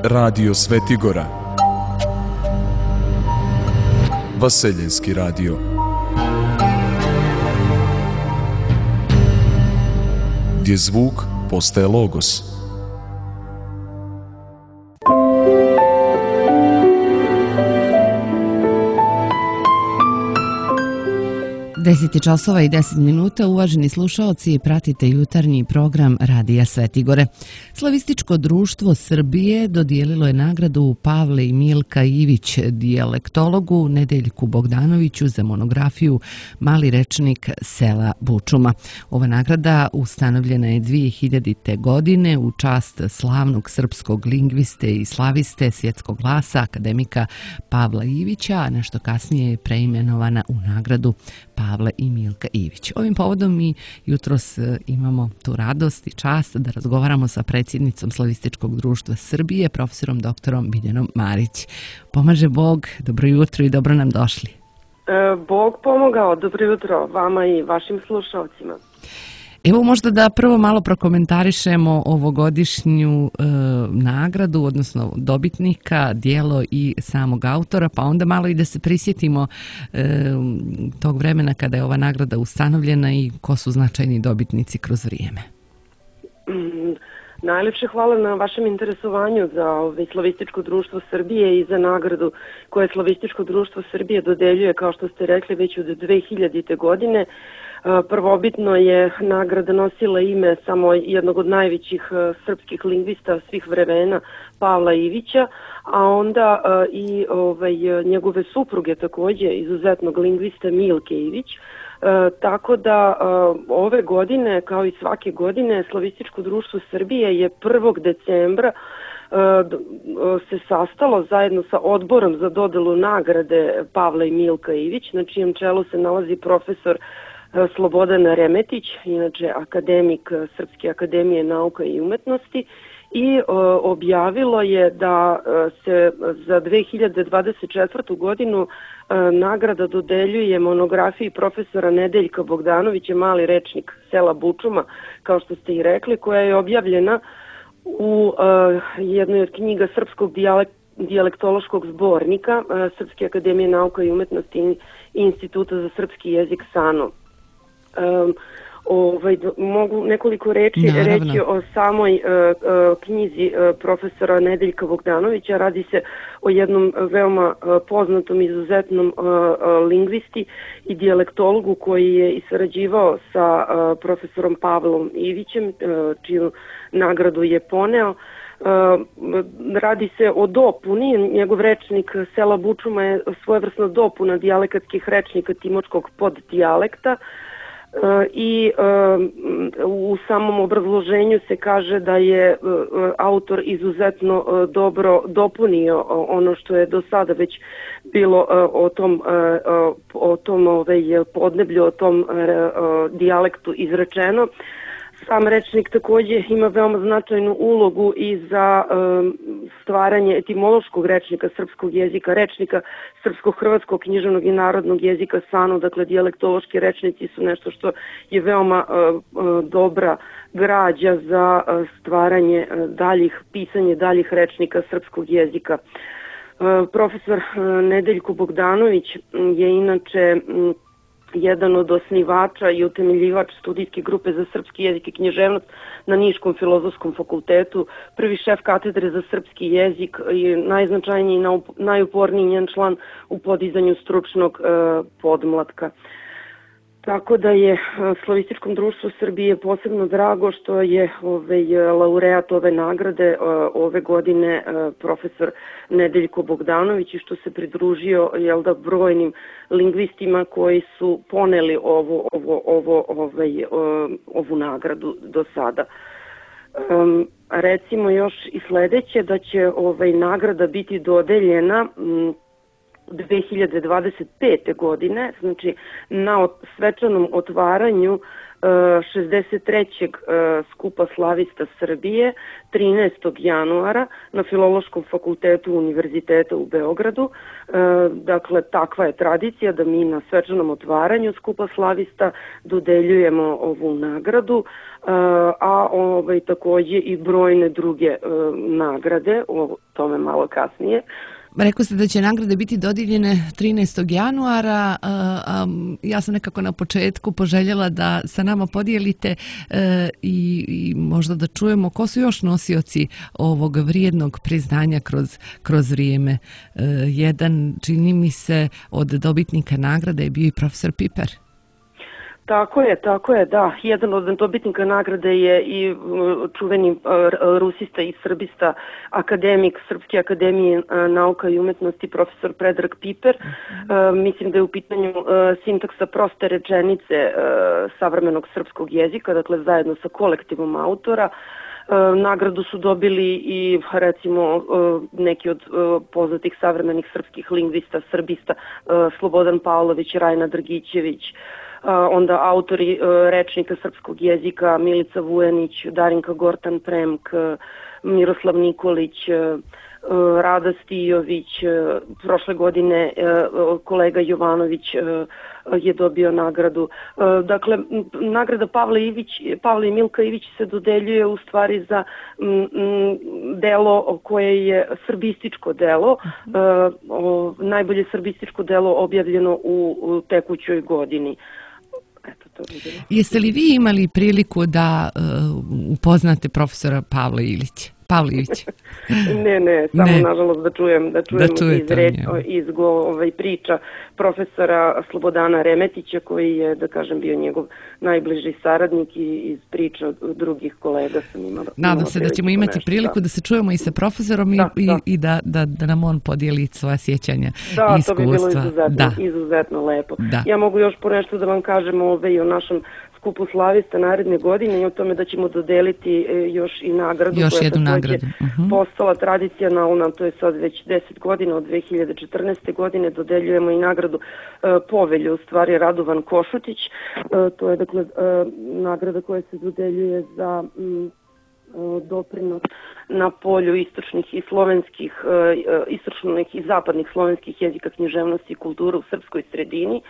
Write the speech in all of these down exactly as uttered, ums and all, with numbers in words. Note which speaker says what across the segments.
Speaker 1: Radio Svetigora, Vaseljenski radio, gdje zvuk postaje logos.
Speaker 2: deset časova i deset minuta, uvaženi slušaoci, pratite jutarnji program Radija Svetigore. Slavističko društvo Srbije dodijelilo je nagradu Pavle i Milka Ivić, dijalektologu, Nedeljku Bogdanoviću za monografiju Mali rečnik sela Bučuma. Ova nagrada ustanovljena je dvije hiljadite. godine u čast slavnog srpskog lingviste i slaviste svjetskog glasa akademika Pavla Ivića, a nešto kasnije je preimenovana u nagradu Pavle i Milka Ivić. Ovim povodom mi jutros imamo tu radost i čast da razgovaramo sa predsjednicom Slavističkog društva Srbije, profesorom doktorom Biljanom Marić. Pomaže Bog, dobro jutro i dobro nam došli.
Speaker 3: E, Bog pomogao, dobro jutro vama i vašim slušalcima.
Speaker 2: Evo možda da prvo malo prokomentarišemo ovogodišnju e, nagradu, odnosno dobitnika, dijelo i samog autora, pa onda malo i da se prisjetimo e, tog vremena kada je ova nagrada ustanovljena i ko su značajni dobitnici kroz vrijeme.
Speaker 3: Mm, najljepše hvala na vašem interesovanju za ovaj, Slavističko društvo Srbije i za nagradu koje Slavističko društvo Srbije dodeljuje, kao što ste rekli, već od dve hiljadite. godine. Prvobitno je nagrada nosila ime samo jednog od najvećih srpskih lingvista svih vremena, Pavla Ivića, a onda i ovaj, njegove supruge također, izuzetnog lingvista Milke Ivić. E, tako da e, ove godine, kao i svake godine, Slavističko društvo Srbije je prvog decembra e, se sastalo zajedno sa odborom za dodelu nagrade Pavla i Milka Ivić, na čijem čelu se nalazi profesor Slobodan Remetić, inače akademik Srpske akademije nauka i umetnosti, i o, objavilo je da se za dve hiljade dvadeset četvrtu. godinu e, nagrada dodeljuje monografiji profesora Nedeljka Bogdanovića Mali rečnik sela Bučuma, kao što ste i rekli, koja je objavljena u e, jednoj od knjiga Srpskog dijalekta dijalektološkog zbornika e, Srpske akademije nauka i umetnosti i Instituta za srpski jezik SANO. Um, ovaj, mogu nekoliko reči
Speaker 2: Naravno.
Speaker 3: reći o samoj uh, uh, knjizi uh, profesora Nedeljka Bogdanovića. Radi se o jednom veoma uh, poznatom, izuzetnom uh, uh, lingvisti i dijalektologu koji je i sarađivao sa uh, profesorom Pavlom Ivićem, uh, čiju nagradu je poneo. Uh, radi se o dopuni, njegov rečnik sela Bučuma je svojevrsna dopuna dijalekatskih rečnika timočkog poddijalekta. Uh, i uh, u samom obrazloženju se kaže da je uh, autor izuzetno uh, dobro dopunio uh, ono što je do sada već bilo uh, o tom, uh, o tom ovaj, podneblju, o tom uh, uh, dijalektu izrečeno. Sam rečnik također ima veoma značajnu ulogu i za um, stvaranje etimološkog rečnika srpskog jezika, rečnika srpsko-hrvatskog književnog i narodnog jezika SANO, dakle dijalektološki rečnici su nešto što je veoma uh, uh, dobra građa za uh, stvaranje uh, daljih, pisanje daljih rečnika srpskog jezika. Uh, profesor uh, Nedeljko Bogdanović je inače um, jedan od osnivača i utemeljivač studijske grupe za srpski jezik i književnost na Niškom filozofskom fakultetu, prvi šef katedre za srpski jezik i najznačajniji i najuporniji njen član u podizanju stručnog uh, podmlatka. Tako da je Slavističkom društvu Srbije posebno drago što je ovaj, laureat ove nagrade ove godine profesor Nedeljko Bogdanović i što se pridružio jel da, brojnim lingvistima koji su poneli ovo, ovo, ovo, ovaj, ovu nagradu do sada. Um, recimo još i sljedeće, da će ovaj, nagrada biti dodeljena um, dve hiljade dvadeset pete. godine, znači na svečanom otvaranju šezdeset trećeg skupa slavista Srbije trinaestog januara na Filološkom fakultetu Univerziteta u Beogradu. Dakle, takva je tradicija da mi na svečanom otvaranju skupa slavista dodeljujemo ovu nagradu, a ovaj, takođe i brojne druge nagrade, o tome malo kasnije.
Speaker 2: Rekao ste da će nagrade biti dodijeljene trinaestog januara. Ja sam nekako na početku poželjela da sa nama podijelite i, i možda da čujemo ko su još nosioci ovog vrijednog priznanja kroz, kroz vrijeme. Jedan, čini mi se, od dobitnika nagrade je bio i profesor Piper.
Speaker 3: Tako je, tako je, da. Jedan od dobitnika nagrade je i čuveni rusista i srbista, akademik Srpske akademije nauka i umetnosti, profesor Predrag Piper. Uh, mislim da je u pitanju uh, sintaksa proste rečenice uh, savremenog srpskog jezika, dakle zajedno sa kolektivom autora. Uh, nagradu su dobili i recimo uh, neki od uh, poznatih savremenih srpskih lingvista, srbista, uh, Slobodan Pavlović, Rajna Drgićević, onda autori rečnika srpskog jezika Milica Vujanić, Darinka Gortan-Premk, Miroslav Nikolić, Rada Stijović, prošle godine kolega Jovanović je dobio nagradu. Dakle, nagrada Pavle Ivić, Pavle i Milka Ivić se dodeljuje u stvari za delo koje je srbističko delo, najbolje srbističko delo objavljeno u tekućoj godini. Eto, to bi
Speaker 2: Jeste li vi imali priliku da uh, upoznate profesora Pavla Ilića? Pavlivić.
Speaker 3: ne, ne, samo ne. nažalost da čujem, da čujem
Speaker 2: da
Speaker 3: iz, reč, iz go, ovaj, priča profesora Slobodana Remetića, koji je, da kažem, bio njegov najbliži saradnik, i iz priča od drugih kolega sam imala.
Speaker 2: Nadam se da ćemo imati nešto, priliku da. da se čujemo i sa profesorom da, i, da. i da, da, da nam on podijeli svoja sjećanja
Speaker 3: da,
Speaker 2: i iskustva.
Speaker 3: Da, to bi bilo izuzetno,
Speaker 2: da.
Speaker 3: izuzetno lepo.
Speaker 2: Da.
Speaker 3: Ja mogu još po nešto da vam kažem ove, i o našem skupu slavista naredne godine i o tome da ćemo dodeliti još i nagradu
Speaker 2: još
Speaker 3: koja
Speaker 2: jednu
Speaker 3: je
Speaker 2: nagradu. Uh-huh.
Speaker 3: postala tradicionalna, to je sad već deset godina, od dve hiljade četrnaeste. godine dodeljujemo i nagradu uh, Povelju, u stvari Radovan Košutić. Uh, to je dakle uh, nagrada koja se dodeljuje za um, doprinos na polju istočnih i slovenskih, istočnih i zapadnih slovenskih jezika, književnosti i kulture u srpskoj sredini.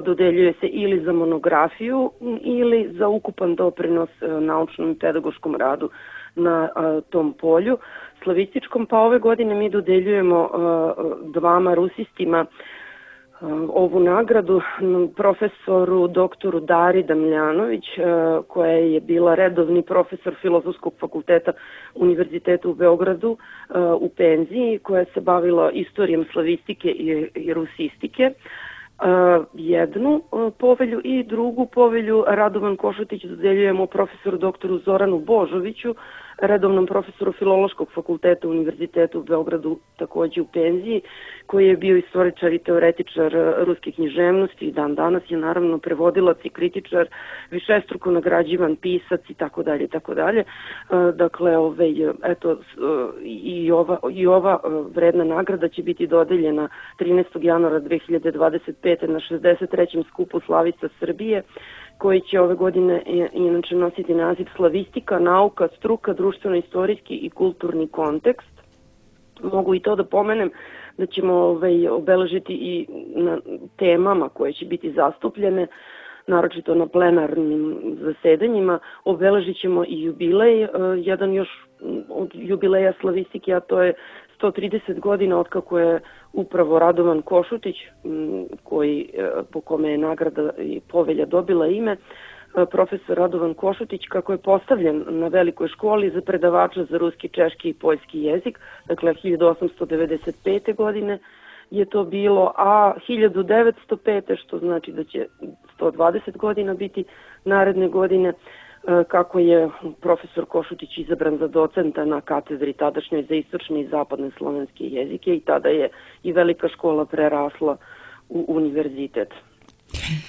Speaker 3: Dodeljuje se ili za monografiju ili za ukupan doprinos naučnom i pedagoškom radu na tom polju slavističkom. Pa ove godine mi dodeljujemo dvama rusistima ovu nagradu, profesoru doktoru Dari Damljanović, koja je bila redovni profesor Filozofskog fakulteta Univerziteta u Beogradu u penziji, koja se bavila istorijom slavistike i rusistike. Jednu povelju i drugu povelju Radovan Košutić dodeljujemo profesoru doktoru Zoranu Božoviću, redovnom profesoru Filološkog fakulteta Univerziteta u Beogradu, takođe u penziji, koji je bio istoričar i teoretičar ruske književnosti i dan danas je naravno prevodilac i kritičar, višestruko nagrađivan pisac i tako dalje i tako dalje. Dakle, ovaj, eto, i ova, i ova vredna nagrada će biti dodeljena trinaestog januara dve hiljade dvadeset pete. na šezdeset trećem skupu Slavica Srbije, koji će ove godine inače nositi naziv Slavistika, nauka, struka, društveno-istorijski i kulturni kontekst. Mogu i to da pomenem da ćemo ovaj, obeležiti i na temama koje će biti zastupljene, naročito na plenarnim zasedanjima. Obeležit ćemo i jubilej, jedan još od jubileja slavistike, a to je sto trideset godina od kako je upravo Radovan Košutić, koji, po kome je nagrada i povelja dobila ime, profesor Radovan Košutić, kako je postavljen na velikoj školi za predavača za ruski, češki i poljski jezik, dakle hiljadu osamsto devedeset pete. godine je to bilo, a hiljadu devetsto pete. što znači da će sto dvadeset godina biti naredne godine, kako je profesor Košutić izabran za docenta na katedri tadašnjoj za istočne i zapadne slovenske jezike i tada je i velika škola prerasla u univerzitet.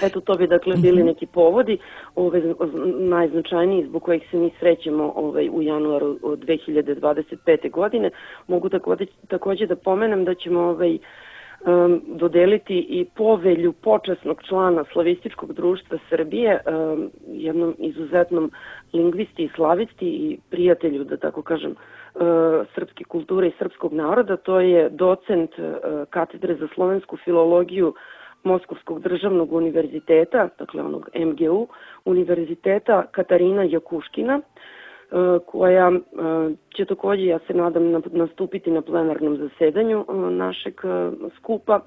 Speaker 3: Eto, to bi dakle bili neki povodi, ove, najznačajniji zbog kojih se mi srećemo ovaj, u januaru dve hiljade dvadeset pete. godine. Mogu takođe, takođe da pomenem da ćemo ovaj, dodeliti i povelju počasnog člana Slavističkog društva Srbije, jednom izuzetnom lingvisti i slavisti i prijatelju, da tako kažem, srpske kulture i srpskog naroda. To je docent katedre za slovensku filologiju Moskovskog državnog univerziteta, dakle onog M G U univerziteta, Katarina Jakuškina, koja će također, ja se nadam, nastupiti na plenarnom zasedanju našeg skupa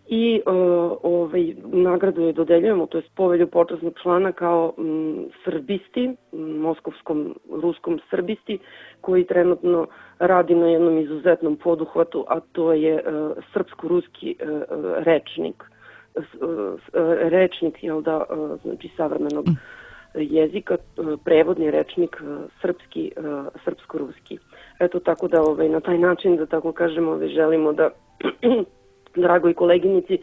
Speaker 3: i ovaj, nagradu je dodeljujemo, to je povelju počasnog člana kao m, srbisti, moskovskom ruskom srbisti, koji trenutno radi na jednom izuzetnom poduhvatu, a to je uh, srpsko-ruski uh, rečnik, uh, rečnik, jel da, uh, znači savremenog jezika, prevodni rečnik srpski, srpsko-ruski. Eto, tako da ovaj, na taj način, da tako kažemo, ovaj, želimo da dragoj koleginici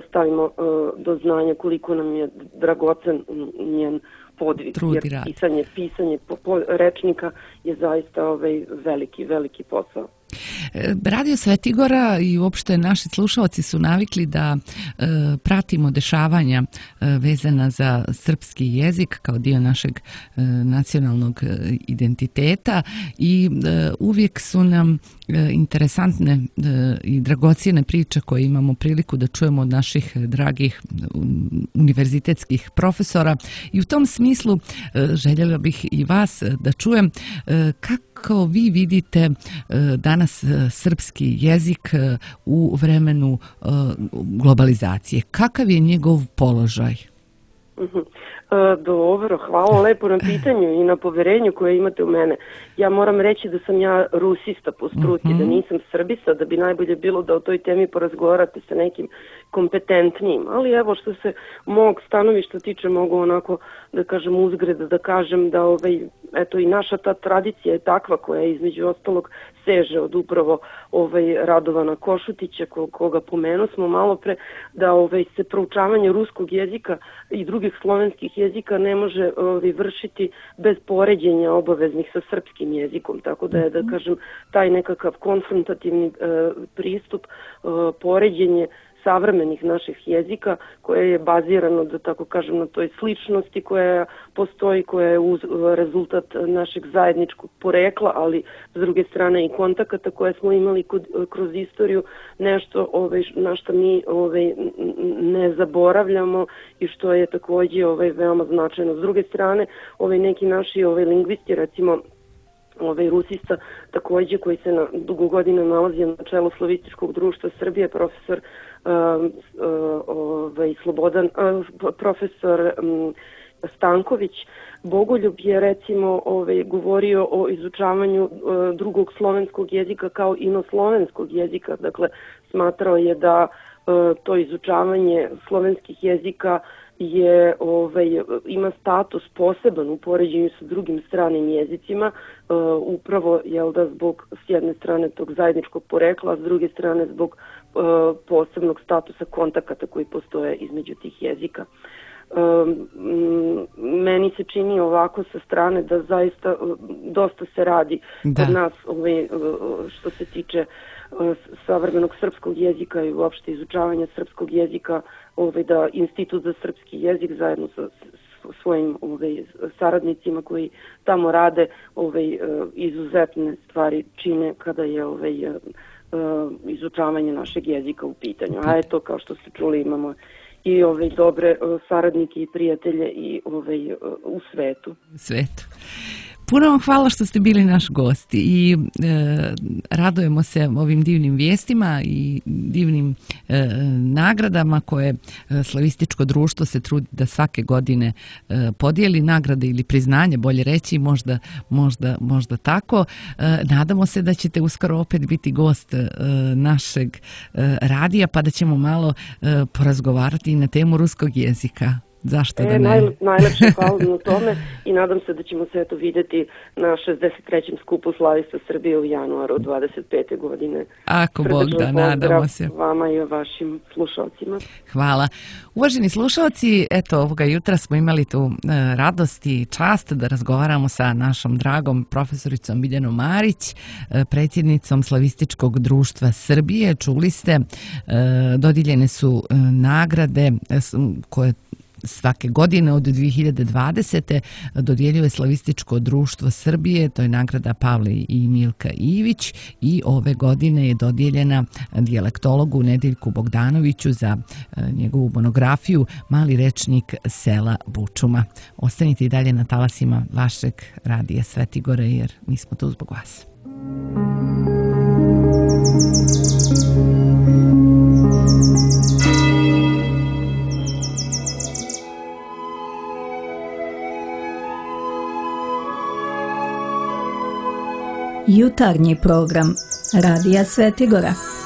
Speaker 3: stavimo do znanja koliko nam je dragocen njen podvig. Jer pisanje, pisanje po, po, rečnika je zaista ovaj, veliki, veliki posao.
Speaker 2: Radio Svetigora i uopšte naši slušalci su navikli da e, pratimo dešavanja e, vezana za srpski jezik kao dio našeg e, nacionalnog identiteta i e, uvijek su nam e, interesantne e, i dragocijene priče koje imamo priliku da čujemo od naših dragih univerzitetskih profesora i u tom smislu e, željela bih i vas da čujem e, kako Kako vi vidite danas srpski jezik u vremenu globalizacije? Kakav je njegov položaj?
Speaker 3: Dobro, hvala lepo na pitanju i na poverenju koje imate u mene. Ja moram reći da sam ja rusista po struci, mm-hmm. da nisam srbisa, da bi najbolje bilo da o toj temi porazgovarate sa nekim kompetentnijim. Ali evo što se mog stanovišta tiče, mogu onako da kažem uzgreda, da kažem da ovaj, eto i naša ta tradicija je takva koja između ostalog seže od upravo ovaj Radovana Košutića, koga pomenu smo malo pre, da ovaj se proučavanje ruskog jezika i drugih slovenskih jezika ne može ovaj, vršiti bez poređenja obaveznih sa srpskim jezikom. Tako da je, da kažem, taj nekakav konfrontativni e, pristup, e, poređenje savremenih naših jezika koje je bazirano, da tako kažem, na toj sličnosti koja postoji, koja je uz rezultat našeg zajedničkog porekla, ali s druge strane i kontakata koje smo imali kod, kroz istoriju, nešto ovaj, na što mi ovaj, ne zaboravljamo i što je također ovaj, veoma značajno. S druge strane, ovaj, neki naši ovaj, lingvisti, recimo ovaj rusista također koji se na dugo godina nalazi na čelu Slavističkog društva Srbije, profesor uh, uh, ovaj Slobodan, uh, profesor um, Stanković Bogoljub je recimo ovaj govorio o izučavanju uh, drugog slovenskog jezika kao inoslovenskog jezika. Dakle, smatrao je da uh, to izučavanje slovenskih jezika je ovaj ima status poseban u poređenju sa drugim stranim jezicima, uh, upravo jel da zbog s jedne strane tog zajedničkog porekla, a s druge strane zbog uh, posebnog statusa kontakata koji postoje između tih jezika. Um, meni se čini ovako sa strane da zaista uh, dosta se radi da. Kod nas ovaj, uh, što se tiče uh, savremenog srpskog jezika i uopšte izučavanja srpskog jezika, ovaj, da Institut za srpski jezik zajedno sa svojim ovaj, saradnicima koji tamo rade ovaj, uh, izuzetne stvari čine kada je ovaj, uh, izučavanje našeg jezika u pitanju. A eto, kao što ste čuli, imamo i ove dobre saradnike i prijatelje i ove u svetu.
Speaker 2: Svetu. Puno vam hvala što ste bili naš gost i e, radujemo se ovim divnim vijestima i divnim e, nagradama koje e, Slavističko društvo se trudi da svake godine e, podijeli nagrade ili priznanje, bolje reći, možda, možda, možda tako. E, nadamo se da ćete uskoro opet biti gost e, našeg e, radija pa da ćemo malo e, porazgovarati na temu ruskog jezika. Zašto
Speaker 3: e,
Speaker 2: da ne?
Speaker 3: Naj, najlepše hvala na tome i nadam se da ćemo se eto vidjeti na šezdeset trećem skupu slavista Srbije u januaru dvadeset pete godine.
Speaker 2: Ako Bog da, nadamo se.
Speaker 3: Vama i vašim slušalcima.
Speaker 2: Hvala. Uvaženi slušalci, eto ovoga jutra smo imali tu e, radost i čast da razgovaramo sa našom dragom profesoricom Biljanom Marić, e, predsjednicom Slavističkog društva Srbije. Čuli ste, e, dodijeljene su e, nagrade e, koje svake godine od dvije hiljade dvadesete dodjeljuje Slavističko društvo Srbije, to je nagrada Pavle i Milka Ivić, i ove godine je dodijeljena dijalektologu Nedeljku Bogdanoviću za njegovu monografiju Mali rečnik sela Bučuma. Ostanite i dalje na talasima vašeg radija Svetigore jer mi smo tu zbog vas.
Speaker 4: Jutarnji program Radija Svetigora.